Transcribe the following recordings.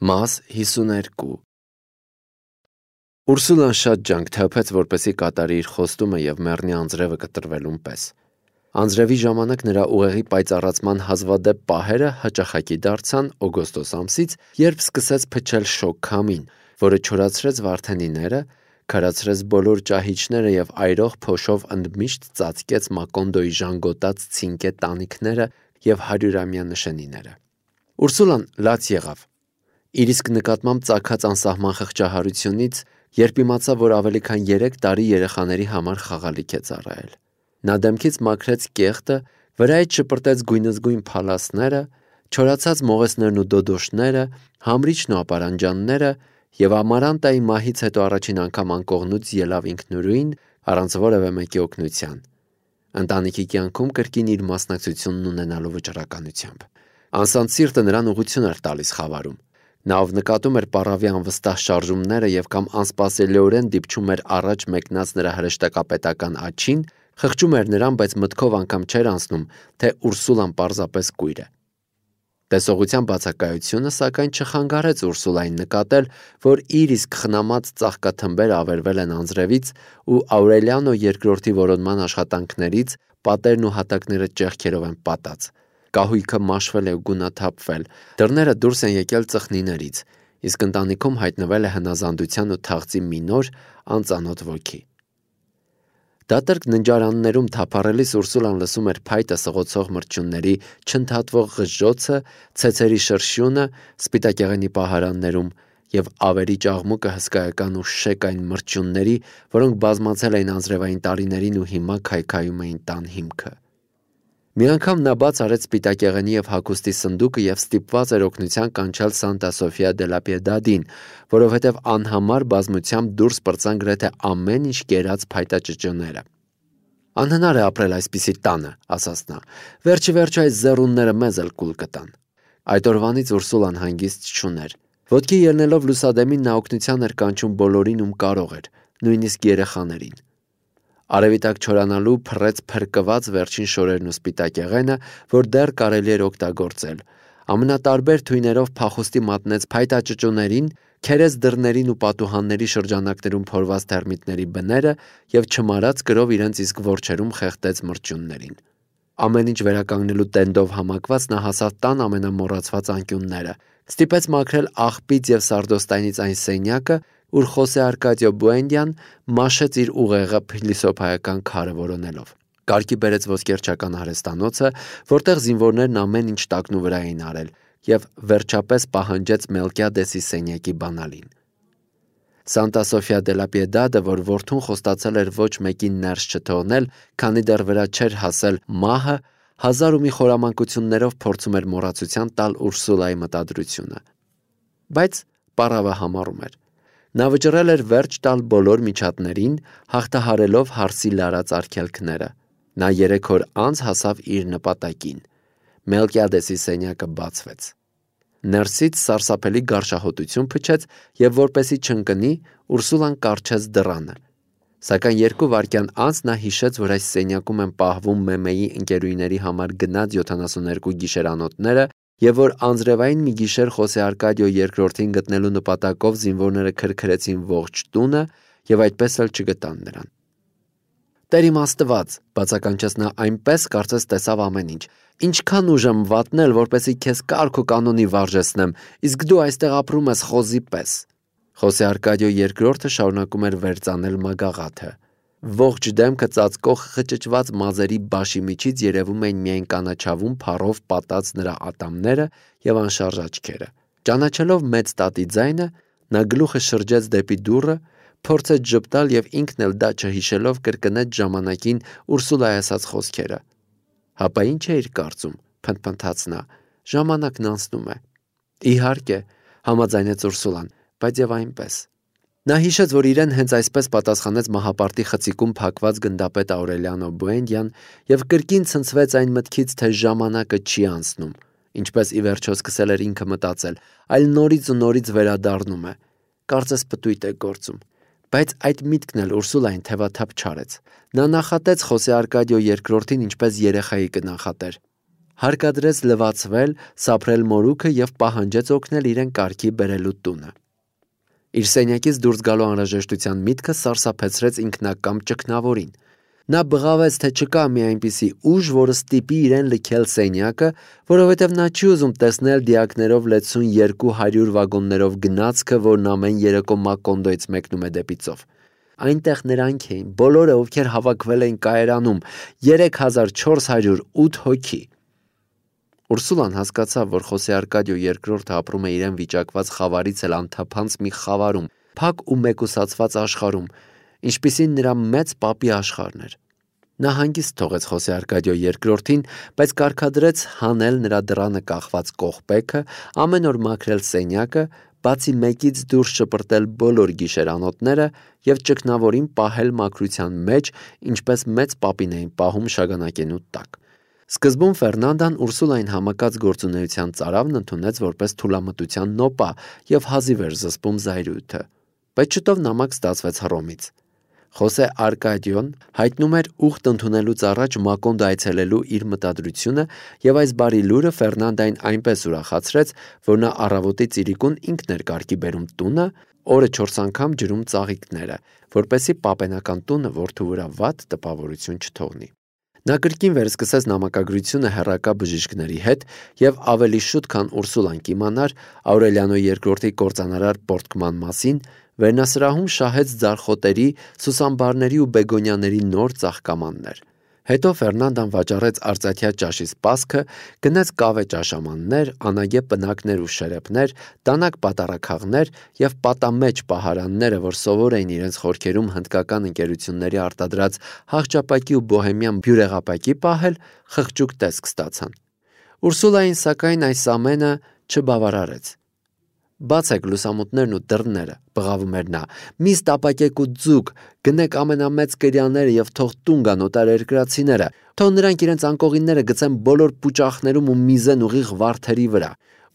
Մաս 52 Ուրսուլան շատ ջանք թափեց, որպեսզի կատարի իր խոստումը և մեռնի անձրևը կտրվելուն պես։ Անձրևի ժամանակ նրա ուղեղի պայծառացման հազվադեպ պահերը հաճախակի դարձան օգոստոս ամսից, երբ սկսեց փչել շոգ քամին, որը չորացրեց Վարդենիները, քարացրեց բոլոր ճահիճները և այրող փոշով ընդմիշտ ծածկեց Մակոնդոյի ժանգոտած ցինկե տանիքները և 100-ամյա նշանիները։ Ուրսուլան լաց եղավ իր իսկ նկատմամբ ծագած անսահման խղճահարությունից, երբ իմացավ, որ ավելի քան 3 տարի երեխաների համար խաղալիք է ծառայել։ Նա դեմքից մաքրեց կեղտը, վրայից շպրտեց գույնզգույն փալասները, չորացած մողեսներն ու դոդոշները, համրիչն ու ապարանջանները և Ամարանտայի մահից հետո առաջին անգամ անկողնուց ելավ ինքնուրույն, առանց որևէ մեկի օգնության, ընտանիքի կյանքում կրկին իր մասնակցությունն ունենալու վճռականությամբ։ Անսանտ սիրտը նրան ուղղություն էր տալիս խավարում։ Նա, ով նկատում էր պառավի անվստահ շարժումները և կամ անսպասելիորեն դիպչում էր առաջ մեկնած նրա հրեշտակապետական աջին, խղճում էր նրան, բայց մտքով անգամ չէր անցնում, թե Ուրսուլան պարզապես կույր է։ Տեսողության բացակայությունը, սակայն, չխանգարեց Ուրսուլային նկատել, որ իր իսկ խնամած ծաղկաթմբերը ավերվել են անձրևից ու Աուրելիանո II որոնման աշխատանքներից պատերն ու հատակները ճեղքերով են պատած։ Կահույքը մաշվել է ու գունաթափվել, դռները դուրս են եկել ծխնիներից, իսկ ընտանիքում հայտնվել է հնազանդության ու թաղծի մի նոր, անծանոթ ոգի։ Դատարկ ննջարաններում թափառելիս Ուրսուլան լսում էր փայտը սղոցող մրջյունների չընդհատվող ղժջոցը, ցեցերի շրշյունը սպիտակեղենի պահարաններում և ավերի ճաղմուկը հսկայական ու շեկ այն մրջյունների, որոնք բազմացել էին անձրևային տարիներին ու հիմա քայքայում էին տան հիմքը։ Մի անգամ նա բաց արեց սպիտակեղենի և հագուստի սնդուկը և ստիպված էր օգնության կանչել Սանտա Սոֆիա դե լա Պիեդադին, որովհետև անհամար բազմությամբ դուրս պրծան գրեթե ամեն ինչ կերած փայտաճճոները։ «Անհնար է ապրել այսպիսի տանը», ասաց նա, «վերջի վերջո այս զեռունները մեզ էլ կուլ կտան»։ Այդ օրվանից Ուրսուլան հանգիստ չուներ։ Ոտքի ելնելով լուսադեմին նա օգնության էր կանչում բոլորին, ում կարող էր, նույնիսկ երեխաներին։ Արևի տակ չորանալու փռեց փրկված վերջին շորերն ու սպիտակեղենը, որ դեռ կարելի էր օգտագործել։ Ամենատարբեր թույներով փախուստի մատնեց փայտաճճոներին, քերեց դռներին ու պատուհանների շրջանակներում փորված թերմիտների բները և չմարած կրով իրենց իսկ որջերում խեղդեց մրջյուններին։ Ամեն ինչ վերականգնելու տենդով համակված նա հասավ տան ամենամոռացված անկյունները, ստիպեց մաքրել աղբից և սարդոստայնից այն սենյակը, ուր Խոսե Արկադիո Բուենդիան մաշեց իր ուղեղը փիլիսոփայական քարը որոնելով։ Կարգի բերեց ոսկերչական արհեստանոցը, որտեղ զինվորներն ամեն ինչ տակնու վրա էին արել, և վերջապես պահանջեց Մելկիադեսի սենյակի բանալին։ Սանտա Սոֆիա դե լա Պիեդադը, որ որդուն խոստացել էր ոչ մեկին ներս չթողնել, քանի դեռ վրա չէր հասել մահը, հազար ու մի խորամանկություններով փորձում էր մոռացության տալ Ուրսուլայի մտադրությունը։ Բայց պառավը համառում էր։ Նա վճռել էր վերջ տալ բոլոր միջատներին, հաղթահարելով հարսի լարած արգելքները։ Նա 3 օր անց հասավ իր նպատակին։ Մելկիադեսի սենյակը բացվեց։ Ներսից սարսափելի գարշահոտություն փչեց և որպեսզի չընկնի, Ուրսուլան կառչեց դռանը։ Սակայն 2 վայրկյան անց նա հիշեց, որ այս սենյակում են պահվում Մեմեի ընկերուհիների համար գնած 72 գիշերանոթները և որ անձրևային մի գիշեր Խոսե Արկադիո II-ին գտնելու նպատակով զինվորները քրքրեցին ողջ տունը և այդպես էլ չգտան նրան։ «Տեր իմ Աստված», բացականչեց նա այնպես, կարծես տեսավ ամեն ինչ, «ինչքան ուժ եմ վատնել, որպեսզի քեզ կարգ ու կանոնի վարժեցնեմ, իսկ դու այստեղ ապրում ես խոզի պես»։ Խոսե Արկադիո II-ը շարունակում էր վերծանել մագաղաթը։ Ողջ դեմքը ծածկող խճճված մազերի բաշի միջից երևում էին միայն կանաչավուն փառով պատած նրա ատամները և անշարժ աչքերը։ Ճանաչելով մեծ տատի ձայնը, նա գլուխը շրջեց դեպի դուռը, փորձեց ժպտալ և ինքն էլ դա չհիշելով կրկնեց ժամանակին Ուրսուլայի ասած խոսքերը։ «Հապա ի՞նչ էիր կարծում», փնթփնթաց նա, «ժամանակն անցնում է»։ «Իհարկե», համաձայնեց Ուրսուլան, «բայց եւ այնպես»։ Նա հիշեց, որ իրեն հենց այսպես պատասխանեց մահապարտի խցիկում փակված գնդապետ Աուրելիանո Բուենդիան և կրկին ցնցվեց այն մտքից, թե ժամանակը չի անցնում, ինչպես ի վերջո սկսել էր ինքը մտածել, այլ նորից ու նորից վերադառնում է, կարծես պտույտ է գործում։ Բայց այդ միտքն էլ Ուրսուլային թևաթափ չարեց։ Նա նախատեց Խոսե Արկադիո II-ին ինչպես երեխայի կնախատեր։ հարկադրեց լվացվել, սափրել մորուքը և պահանջեց օգնել իրեն կարգի բերելու տունը։ Իր սենյակից դուրս գալու անհրաժեշտության միտքը սարսափեցրեց ինքնակամ ճգնավորին։ Նա բղավեց, թե չկա մի այնպիսի ուժ, որը ստիպի իրեն լքել սենյակը, որովհետև նա չի ուզում տեսնել դիակներով լեցուն 200 վագոններով գնացքը, որն ամեն երեկո Մակոնդոյից մեկնում է դեպի ծով։ Այնտեղ նրանք էին, բոլորը, ովքեր հավաքվել էին կայարանում, 3408 հոգի։ Ուրսուլան հասկացավ, որ Խոսե Արկադիո II ապրում է իրեն վիճակված խավարից էլ անթափանց մի խավարում, փակ ու մեկուսացված աշխարհում, ինչպիսին նրա մեծ պապի աշխարհն էր։ Նա հանգիստ թողեց Խոսե Արկադիո II-ին, բայց կարգադրեց հանել նրա դռանը կախված կողպեքը, ամեն օր մաքրել սենյակը, բացի մեկից դուրս շպրտել բոլոր գիշերանոթները և ճգնավորին պահել մաքրության մեջ, ինչպես մեծ պապին էին պահում շագանակենու տակ։ Սկզբում Ֆերնանդան Ուրսուլային համակած գործունեության ծարավն ընդունեց որպես թուլամտության նոպա և հազիվ էր զսպում զայրույթը, բայց շուտով նամակ ստացվեց Հռոմից։ Խոսե Արկադիոն հայտնում էր ուխտ ընդունելուց առաջ Մակոնդո այցելելու իր մտադրությունը և այս բարի լուրը Ֆերնանդային այնպես ուրախացրեց, որ նա առավոտի ծիրիկուն ինքն էր կարգի բերում տունը, օրը 4 անգամ ջրում ծաղիկները, որպեսզի պապենական տունը որդու վրա վատ տպավորություն չթողնի։ Նա կրկին վերսկսեց նամակագրությունը հեռակա բժիշկների հետ և ավելի շուտ, քան Ուրսուլան կիմանար Աուրելիանո II-ի կործանարար պոռթկման մասին, վերնասրահում շահեց ձարխոտերի, սուսամբարների ու բեգոնիաների նոր ծաղկամաններ։ Հետո Ֆերնանդան վաճառեց արծաթյա ճաշի սպասքը, գնեց կավե ճաշամաններ, անագե պնակներ ու շերեպներ, դանակ պատառաքաղներ և պատամեջ պահարանները, որ սովոր էին իրենց խորքերում հնդկական ընկերությունների արտադրած հաղճապակի ու բոհեմյան բյուրեղապակի պահել, խղճուկ տեսք ստացան։ Ուրսուլային, սակայն, այս ամենը չբավարարեց։ «Բացեք լուսամուտներն ու դռները», բղավում էր նա, «մի ստապակեք ու ձուկ, գնեք ամենամեծ կրյաները և թող տուն գան օտարերկրացիները, թող նրանք իրենց անկողինները գցեն բոլոր պուճախներում ու միզեն ուղիղ վարդերի վրա,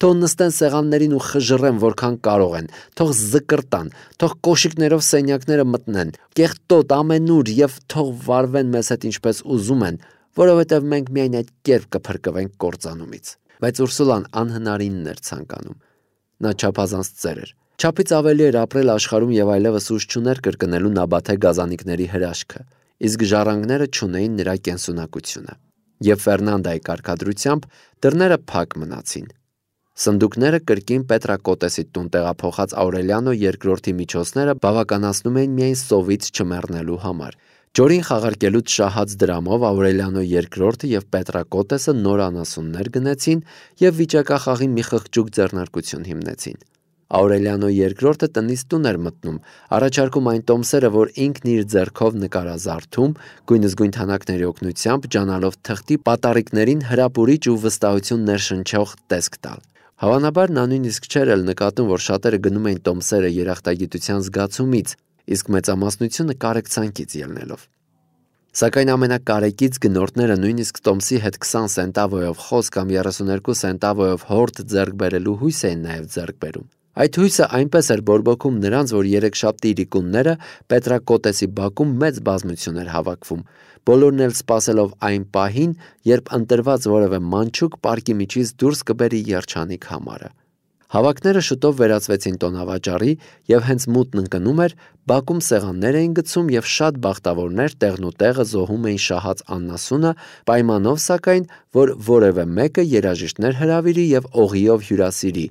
թող նստեն սեղաններին ու խժռեն որքան կարող են, թող զկրտան, թող կոշիկներով սենյակները մտնեն, կեղտոտ ամենուր և թող վարվեն մեզ հետ ինչպես ուզում են, որովհետև մենք միայն այդ կերպ կփրկվենք կործանումից»։ Բայց Ուրսուլան անհնարինն էր ցանկանում։ Նա չափազանց ծեր էր։ Չափից ավելի էր ապրել աշխարհում և այլևս ուժ չուներ կրկնելու նաբաթե գազանիկների հրաշքը, իսկ ժառանգները չունեին նրա կենսունակությունը։ Եվ Ֆերնանդայի կարգադրությամբ դռները փակ մնացին։ Սնդուկները կրկին Պետրակոտեսի տուն տեղափոխած Աուրելիանո II-ի միջոցները բավականացնում էին միայն սովից չմեռնելու համար։ Ջորին խաղարկելուց շահած դրամով Աուրելիանո II-ը և Պետրակոտեսը նոր անասուններ գնեցին և վիճակախաղի մի խղճուկ ձեռնարկություն հիմնեցին։ Աուրելիանո II-ը տնից տուն էր մտնում, առաջարկում այն տոմսերը, որ ինքն իր ձեռքով նկարազարդում, գույնզգույն թանաքների օգնությամբ ջանալով թղթի պատառիկներին հրապուրիչ ու վստահություն ներշնչող տեսք տալ։ Հավանաբար նա նույնիսկ չէր էլ նկատում, որ շատերը գնում էին տոմսերը երախտագիտության զգացումից, իսկ մեծամասնությունը կարեկցանքից ելնելով։ Սակայն ամենակարեկից գնորդները նույնիսկ տոմսի հետ 20 սենտավոյով խոս կամ 32 սենտավոյով հորդ ձեռք բերելու հույս էին նաև ձեռք բերում։ Այդ հույսը այնպես էր բորբոքում նրանց, որ երեքշաբթի իրիկունները Պետրակոտեսի բակում մեծ բազմություն էր հավաքվում, բոլորն էլ սպասելով այն պահին, երբ ընտրված որևէ մանչուկ պարկի միջից դուրս կբերի երջանիկ համարը։ Հավաքները շուտով վերածվեցին տոնավաճառի և հենց մութն ընկնում էր, բակում սեղաններ էին գցում և շատ բախտավորներ տեղնուտեղը զոհում էին շահած անասունը, պայմանով սակայն, որ որևէ մեկը երաժիշտներ հրավիրի և օղիով հյուրասիրի։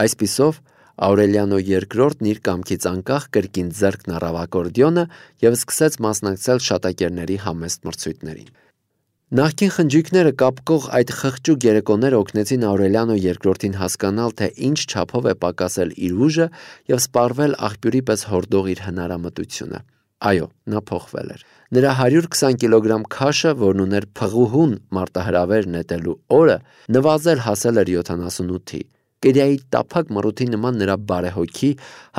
Այսպիսով Աուրելիանո II-ն իր կամքից անկախ կրկին ձեռքն առավ ակորդեոնը և սկսեց մասնակցել շատակերների համեստ մրցույթներին։ Նախկին խնջույքները կապկող այդ խղճուկ երեկոները օգնեցին Աուրելիանո II-ին հասկանալ, թե ինչ չափով է պակասել իր ուժը և սպառվել աղբյուրի պես հորդող իր հնարամտությունը։ Այո, նա փոխվել էր։ Նրա 120 կիլոգրամ քաշը, որն ուներ փղուհուն մարտահրավեր նետելու օրը, նվազել հասել էր 78-ի։ Կերիայի տափակ մռութի նման նրա բարեհոգի,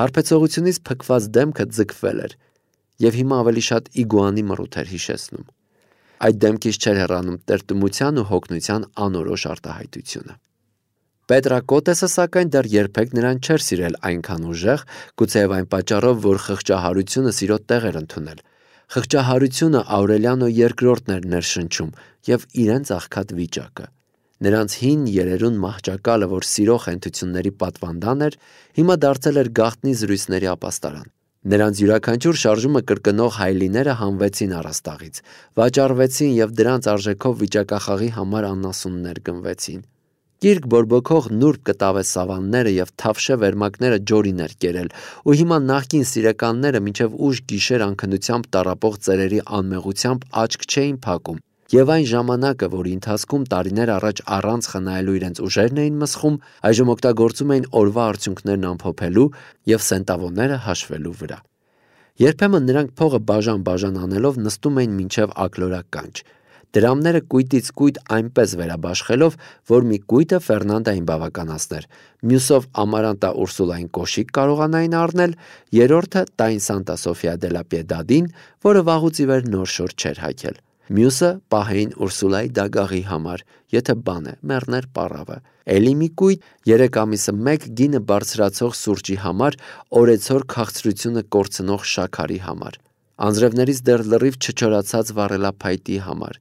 հարբեցողությունից փքված դեմքը ձգվել էր և հիմա ավելի շատ իգուանի մռութ էր հիշեցնում։ Այդ դեմքից չէր հեռանում տրտմության ու հոգնության անորոշ արտահայտությունը։ Պետրակոտեսը սակայն դեռ երբեք նրան չէր սիրել այնքան ուժեղ, գուցեև այն պատճառով, որ խղճահարությունը սիրո տեղ էր ընդունել։ Խղճահարությունը Աուրելիանո II-ն էր ներշնչում և իրենց աղքատ վիճակը։ Նրանց հին երերուն մահճակալը, որ սիրո խենթությունների պատվանդան էր, հիմա դարձել էր գաղտնի զրույցների ապաստարան։ Նրանց յուրաքանչյուր շարժումը կրկնող հայելիները հանվեցին առաստաղից, վաճառվեցին և դրանց արժեքով վիճակախաղի համար անասուններ գնվեցին։ Կիրք բորբոքող նուրբ կտավե սավանները և թավշե վերմակները ջորին էր կերել, ու հիմա նախկին սիրեկանները մինչև ուշ գիշեր անքնությամբ տառապող ծերերի անմեղությամբ աչք չէին փակում, և այն ժամանակը, որի ընթացքում տարիներ առաջ առանց խնայելու իրենց ուժերն էին մսխում, այժմ օգտագործում էին օրվա արդյունքներն ամփոփելու և սենտավոները հաշվելու վրա։ Երբեմն նրանք փողը բաժան-բաժան անելով նստում էին մինչև ակլորակ կանչ, դրամները կույտից կույտ այնպես վերաբաշխելով, որ մի կույտը Ֆերնանդային բավականացներ, մյուսով Ամարանտա Ուրսուլային կոշիկ կարողանային առնել, երրորդը տային Սանտա Սոֆիա դե լա Պիեդադին, որը վաղուց ի վեր նոր շոր չէր հագել, մյուսը պահեին Ուրսուլայի դագաղի համար, եթե բան է, մեռներ պառավը, էլի մի կույտ 3 ամիսը մեկ գինը բարձրացող սուրճի համար, օրեցօր քաղցրությունը կորցնող շաքարի համար, անձրևներից դեռ լրիվ չչորացած վառելափայտի համար,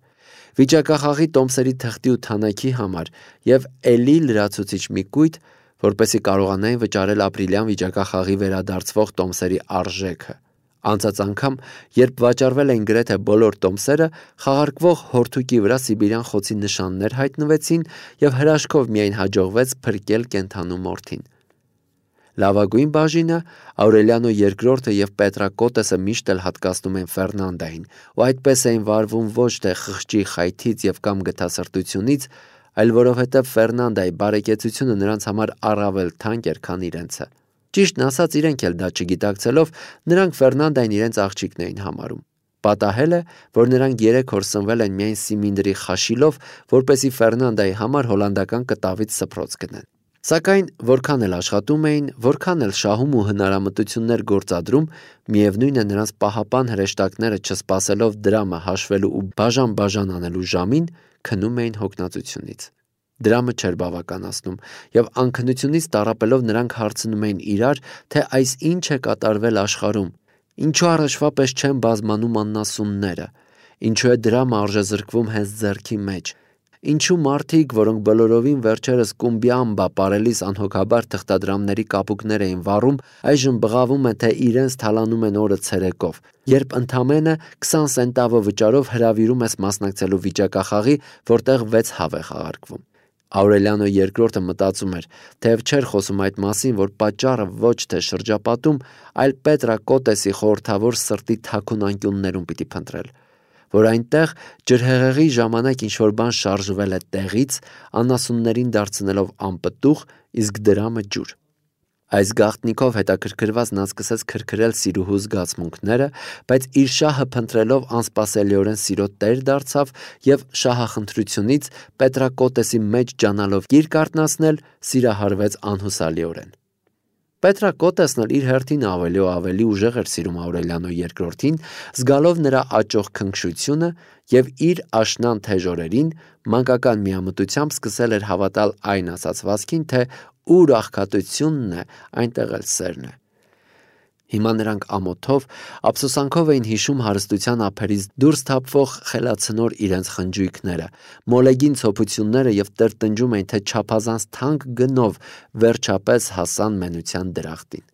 վիճակախաղի տոմսերի թղթի ու թանաքի համար և էլի լրացուցիչ մի կույտ, որպեսզի կարողանային վճարել ապրիլյան վիճակախաղի վերադարձվող տոմսերի արժեքը։ Անցած անգամ, երբ վաճառվել էին գրեթե բոլոր տոմսերը, խաղարկվող հորթուկի վրա սիբիրյան խոցի նշաններ հայտնվեցին և հրաշքով միայն հաջողվեց փրկել կենդանու մորթին։ Լավագույն բաժինը Աուրելիանո II և Պետրակոտեսը միշտ էլ հատկացնում են Ֆերնանդային, ու այդպես էին վարվում ոչ թե խղճի խայթից և կամ գթասրտությունից, այլ որովհետև Ֆերնանդայի բարեկեցությունը նրանց համար առավել թանկ էր, քան իրենցը։ Ճիշտն ասած, իրենք էլ դա չգիտակցելով, նրանք Ֆերնանդային իրենց աղջիկն էին համարում։ Պատահել է, որ նրանք 3 օր սնվել են միայն սիմինդրի խաշիլով, որպեսզի Ֆերնանդայի համար հոլանդական կտավից սփռոց գնեն։ Սակայն որքան էլ աշխատում էին, որքան էլ շահում ու հնարամտություններ գործադրում, միևնույն է նրանց պահապան հրեշտակները չսպասելով դրամը հաշվելու ու բաժան-բաժան անելու ժամին, քնում էին հոգնածությունից։ Դրամը չէր բավականացնում, և անքնությունից տառապելով նրանք հարցնում էին իրար, թե այս ինչ է կատարվել աշխարհում, ինչու առաջվա պես չեն բազմանում անասունները, ինչու է դրամը արժեզրկվում հենց ձեռքի մեջ, ինչու մարդիկ, որոնք բոլորովին վերջերս կումբիամբա պարելիս անհոգաբար թղթադրամների կապուկներ էին վառում, այժմ բղավում են, թե իրենց թալանում են օրը ցերեկով, երբ ընդամենը 20 սենտավո վճարով հրավիրում ես մասնակցելու վիճակախաղի, որտեղ 6 հավ է խաղարկվում։ Աուրելիանո II մտածում էր, թեև չէր խոսում այդ մասին, որ պատճառը ոչ թե շրջապատում, այլ Պետրակոտեսի խորհրդավոր սրտի թաքուն անկյուններում պիտի փնտրել, որ այնտեղ ջրհեղեղի ժամանակ ինչ-որ բան շարժվել է տեղից, անասուններին դարձնելով անպտուղ, իսկ դրամը ջուր։ Այս գաղտնիքով հետաքրքրված նա սկսեց քրքրել սիրուհու զգացմունքները, բայց իր շահը փնտրելով անսպասելիորեն սիրո տեր դարձավ և շահախնդրությունից Պետրակոտեսի մեջ ջանալով գիրք արթնացնել, սիրահարվեց անհուսալիորեն։ Պետրակոտեսն էլ իր հերթին ավելի ու ավելի ուժեղ էր սիրում Աուրելիանո II-ին, զգալով նրա աճող քնքշությունը և իր աշնան թեժ օրերին մանկական միամտությամբ սկսել էր հավատալ այն ասացվածքին, թե ուր աղքատությունն է, այնտեղ էլ սերն է։ Հիմա նրանք ամոթով, ափսոսանքով էին հիշում հարստության ափերից դուրս թափվող խելացնոր իրենց խնջույքները, մոլեգին ցոփությունները և տրտնջում էին, թե չափազանց թանկ գնով վերջապես հասան մենության դրախտին։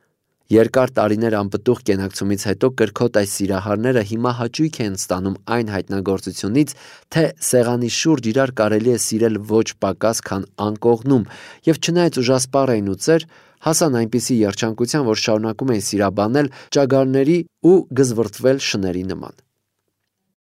Երկար տարիներ անպտուղ կենակցումից հետո կրքոտ այս սիրահարները հիմա հաճույք են ստանում այն հայտնագործությունից, թե սեղանի շուրջ իրար կարելի է սիրել ոչ պակաս, քան անկողնում, և չնայած ուժասպառ էին ու ծեր, հասան այնպիսի երջանկության, որ շարունակում էին սիրաբանել ճագարների ու գզվռտվել շների նման։